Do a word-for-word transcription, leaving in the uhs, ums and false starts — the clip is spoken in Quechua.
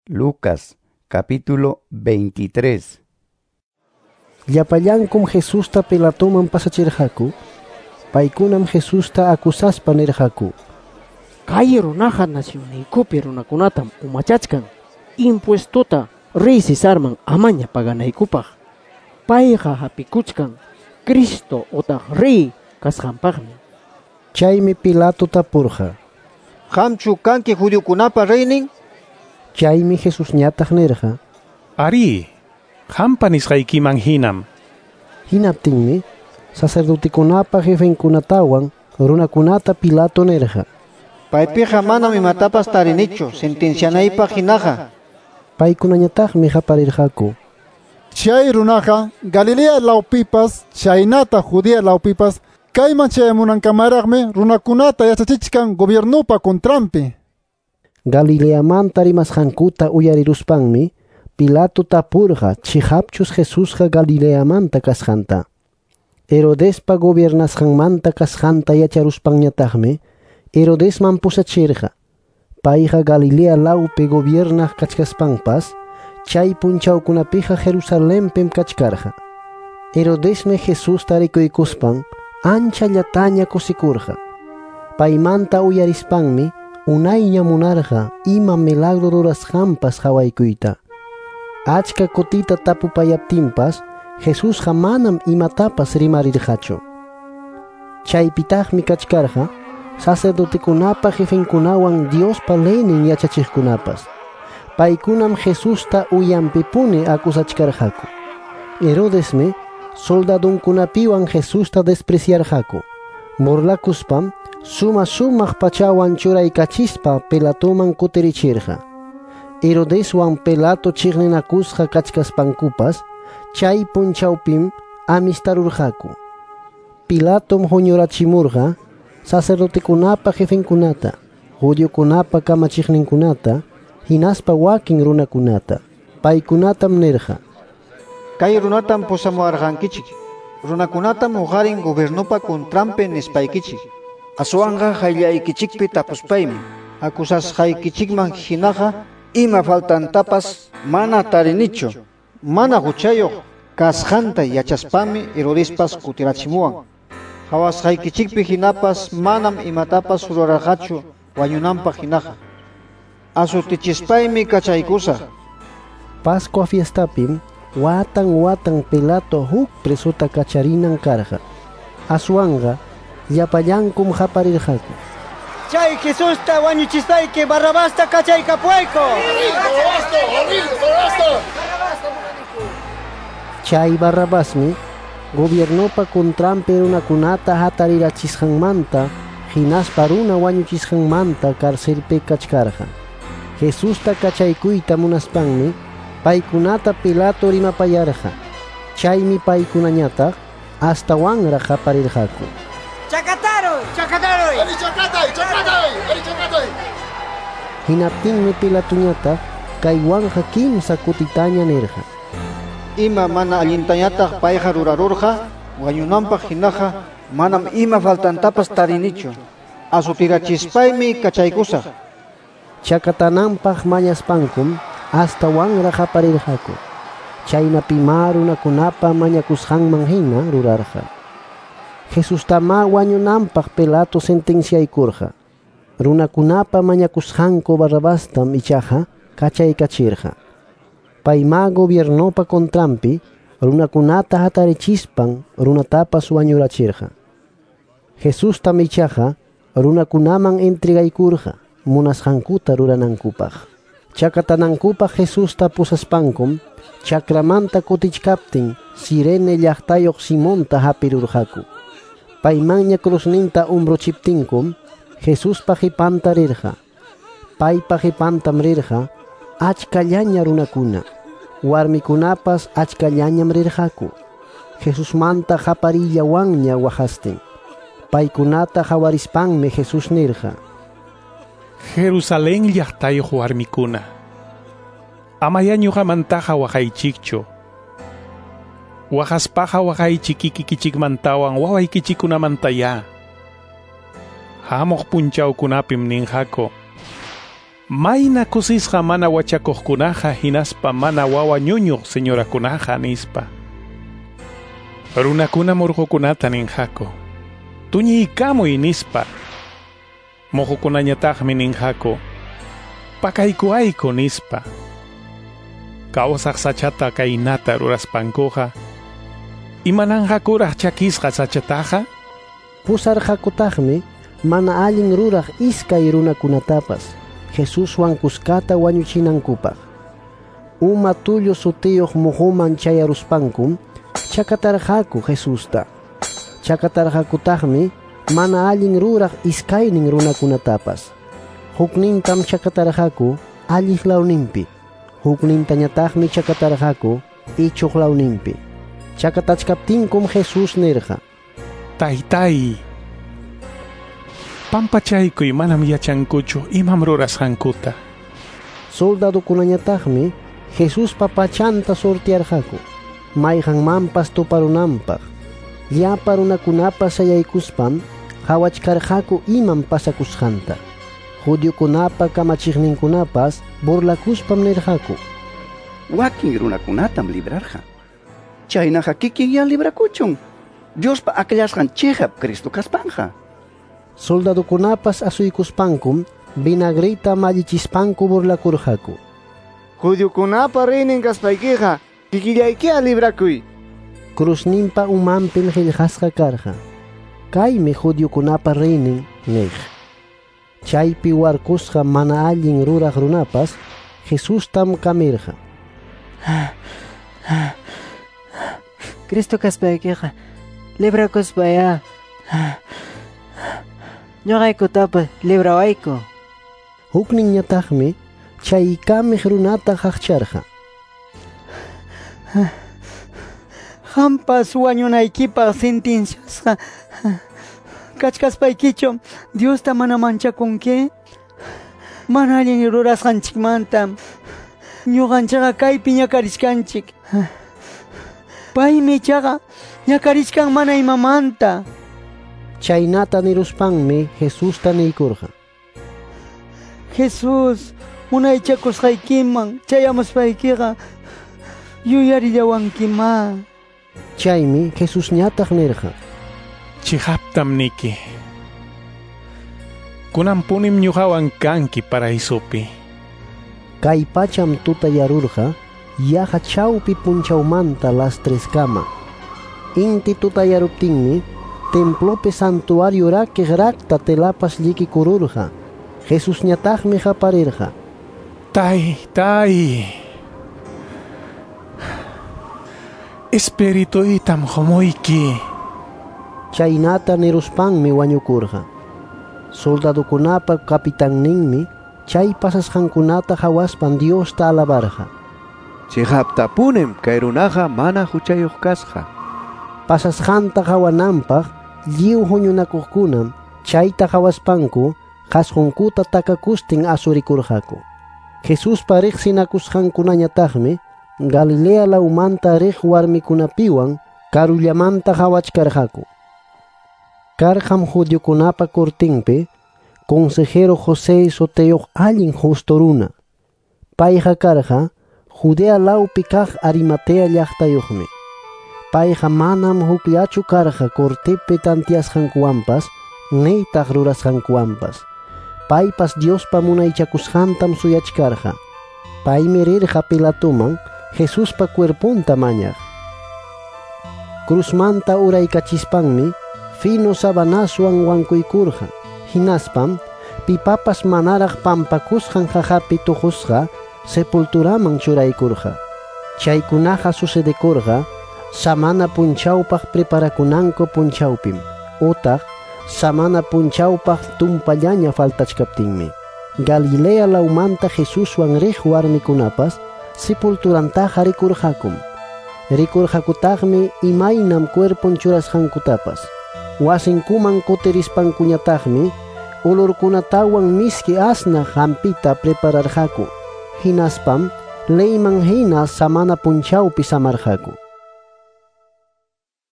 Lucas capítulo veintitrés. Llapallankum Jesusta Pilatoman pasachirqaku. Paykunam Jesusta acusaspa nirqaku: Kay runaqa nacionniykupi runakunatam umachachkan impuestota rey Cesarman amaña paganaykupaq. Payqa hapikuchkan Cristo otaq rey kasqanpaqmi. Chaymi Pilato tapurqa: Qamchu kanki judiokunapa reynin? Chaymi Jesusñataq nirqa: Ari, qampa nisqaykiman hinam. Hinaptinmi sacerdotekunapa jefenkunatawan runakunata Pilato nirqa: Paypiqa manam imatapas tarinichu sentencianaypaq hinaqa. Paykunañataqmi qaparirqaku: Chay runaqa Galilea lawpipas chaynata Judea lawpipas kayman chayamunankamaraqmi runakunata yachachichkan gobiernupa contranpi. Galileamanta rimasqankuta uyariruspanmi Pilato tapurqa chiqapchus Jesusqa Galileamanta kasqanta. Herodespa gobiernasqanmanta kasqanta yacharuspanñataqmi Herodesman pusachirqa. Payqa Galilea lawpi gobiernaq kachkaspanpas chay punchawkunapiqa Jerusalenpim kachkarqa. Herodesmi Jesusta rikuykuspan anchallataña kusikurqa. Paymanta uyarispanmi unayña munarqa ima milagro rurasqanpas qawaykuyta. Achka kutita tapupayaptinpas Jesusqa manam imatapas rimarirqachu. Chaypitaqmi kachkarqa sacerdotekunapa jefenkunawan Diospa leynin yachachiqkunapas. Paykunam Jesusta uyanpipuni acusachkarqaku. Herodesmi soldadunkunapiwan Jesusta despreciarqaku. Burlakuspam suma sumaq pachawan churaykachispa Pilatoman kutirichirqa. Herodeswan Pilato chiqninakusqa kachkaspankupas chay punchawpim amistarurqaku. Pilatom huñurachimurqa sacerdotekunapa jefenkunata, judiokunapa kamachiqninkunata, hinaspa wakin runakunata. Paykunatam nirqa: Kay runatam pusamuwarqankichik, runakunatam uqarin gobiernupa contranpi nispaykichik. Aswanqa qayllaykichikpi tapuspaymi acusasqaykichikman hinaqa ima faltantapas mana tarinichu. Mana huchayuq kasqanta yachaspami Herodespas kutirachimuwan. Qawasqaykichikpi hinapas manam imatapas rurarqachu wañunanpaq hinaqa. Asutichispaymi kachaykusaq. Pascua fiestapim watan watan Pilato huk presota kacharinan karqa. Aswanqa llapallankum qaparirqaku: Chay Jesusta wañuchispayki Barrabasta kachaykapuwayku. Chay Barrabasmi gobiernopa contranpi runakunata hatarirachisqanmanta hinaspa runa wañuchisqanmanta carcelpi kachkarqa. Jesusta kachaykuyta munaspanmi paykunata Pilato rimapayarqa. Chaymi paykunañataq astawanraq qaparirqaku: Chakataruy! Chakataruy! Ari chakatay! Chakatay! Ari chakatay! Hinaptinmi Pilatoñataq kaywanqa kimsa kutitaña nirqa: Ima mana allintañataq payqa rurarurqa wañunanpaq hinaqa manam ima faltantapas tarinichu. Asutirachispaymi kachaykusaq. Chakatananpaq mañaspankum astawanraq qaparirqaku. Chaynapimá runakunapa mañakusqanman hina rurarqa. Jesustamá wañunanpaq Pilato sentenciaykurqa. Runakunapa mañakusqanku Barrabastam ichaqa kachaykachirqa. Paymá gobiernopa contranpi runakunata hatarichispan runatapas wañurachirqa. Jesustam ichaqa runakunaman entregaykurqa munasqankuta ruranankupaq. Chakatanankupaq Jesusta pusaspankum chakramanta kutichkaptin Cirene llaqtayuq Simonta hapirurqaku. Paymanña cruzninta umbruchiptinkum Jesuspa qipanta rirqa. Paypa qipantam rirqa achkallaña runakuna. Warmikunapas achkallañam rirqaku. Jesusmanta qaparillawanña waqastin. Paykunata qawarispanmi Jesús nirqa: Jerusalén llaqtayuq warmikuna, amaya ñuqamantaqa waqaychikchu. Waqaspaqa waqaychik kikikichikmantawan wawaykichikkunamantayá. Hamuq punchawkunapim ninqaku: Mayna kusisqa mana wachakuqkunaqa hinaspa mana wawa ñuñuq señorakunaqa nispa. Runakuna murqukunata ninqaku, tuñiykamuy nispa. Muqukunañataqmi ninqaku, pakaykuayku nispa. Kawsaq sachata kaynata ruraspankuqa, imananqakuraq chakisqa sachataqa? Pusarqakutaqmi mana allin ruraq iskay runakunatapas Jesuswan kuskata wañuchinankupaq. Uma tullu sutiyuq muhuman chayaruspankum chakatarqaku Jesusta. Chakatarqakutaqmi mana allin ruraq iskaynin runakunatapas. Huknintam chakatarqaku alliq lawninpi, huknintañataqmi chakatarqaku ichuq lawninpi. Chakatachkaptinkum Jesús nirqa: Taytay, pampachaykuy, manam yachankuchu imam rurasqankuta. Soldadukunañataqmi Jesuspa pachanta sortearqaku mayqanmanpas tuparunanpaq. Llapa runakunapas sayaykuspam qhawachkarqaku imam pasakusqanta. Judiokunapa kamachiqninkunapas burlakuspam nirqaku: Wakin runakunatam librarqa. Chaynaqa kikinya librakuchun. Diospa akllasqan chiqap Cristo kaspanqa. Soldadukunapas asuykuspankum vinagrita mallichispanku burlakurqaku. Judiokunapa reynin kaspaykiqa kikillaykiya librakuy. Cruzninpa umanpim qillqasqa karqa: Kaymi judiokunapa reynin niq. Chaypi warkusqa mana allin ruraq runapas Jesustam kamirqa. Cristo kaspaykiqa librakuspayá ñuqaykutapas librawayku. Hukninñataqmi chay kamiq runata qaqcharqa. Qampas wañunaykipaq sentenciasqa kachkaspaykichu Diosta mana manchakunki? Mana allin rurasqanchikmanta ñuqanchikqa kaypi ñakarichkanchik. Paymi ichaqa ñakarichkan mana imamanta. Chaynata niruspanmi Jesusta niykurqa: Jesús, munaychakusqaykiman chayamuspaykiqa yuyarillawankimá. Chaymi Jesusñataq nirqa: Chiqaptam niki, kunanpunim ñuqawan kanki paraísopi. Kay pacham tutayarurqa yaqa chawpi punchawmanta las treskama. Inti tutayaruptinmi templopi santuario rakiq rakta telapas llikikururqa. Jesusñataqmi qaparirqa: Taytay, espirituytam qumuyki. Chaynata niruspanmi wañukurqa. Soldadukunapa kapitanninmi chay pasasqankunata qhawaspan Diosta alabarqa. Chiqaptapunim kay runaqa mana huchayuq kasqa. Pasasqanta qhawananpaq lliw huñunakuqkunam chayta qhawaspanku qhasqunkuta takakustin asurikurqaku. Jesuspa riqsinakusqankunañataqmi Galilea lawmanta riq warmikunapiwan karullamanta qhawachkarqaku. Karqam judiokunapa cortinpi consejero José sutiyuq allin justo runa. Payqa karqa Judea lawpi kaq Arimatea llaqtayuqmi. Payqa manam hukllachu karqa cortepi tantiasqankuwanpas nitaq rurasqankuwanpas. Paypas Diospa munaychakusqantam suyachkarqa. Paymi rirqa Pilatoman Jesuspa cuerpunta mañaq. Cruzmanta uraykachispanmi fino sabanaswan wankuykurqa. Hinaspam pipapas manaraq pampakusqan qaqapi tuqusqa sepulturaman churaykurqa. Chaykunaqa sucedekurqa samana punchawpaq preparakunanku punchawpim utaq samana punchawpaq tumpallaña faltachkaptinmi. Galilea lawmanta Jesuswan riq warmikunapas sepulturantaqa rikurqakum. Rikurqakutaqmi imaynam cuerpon churasqankutapas. Wasinkuman kutirispankuñataqmi olorkunatawan miski asnaq hampita prepararqaku. Hinaspam leyman hina samana punchawpi samarqaku.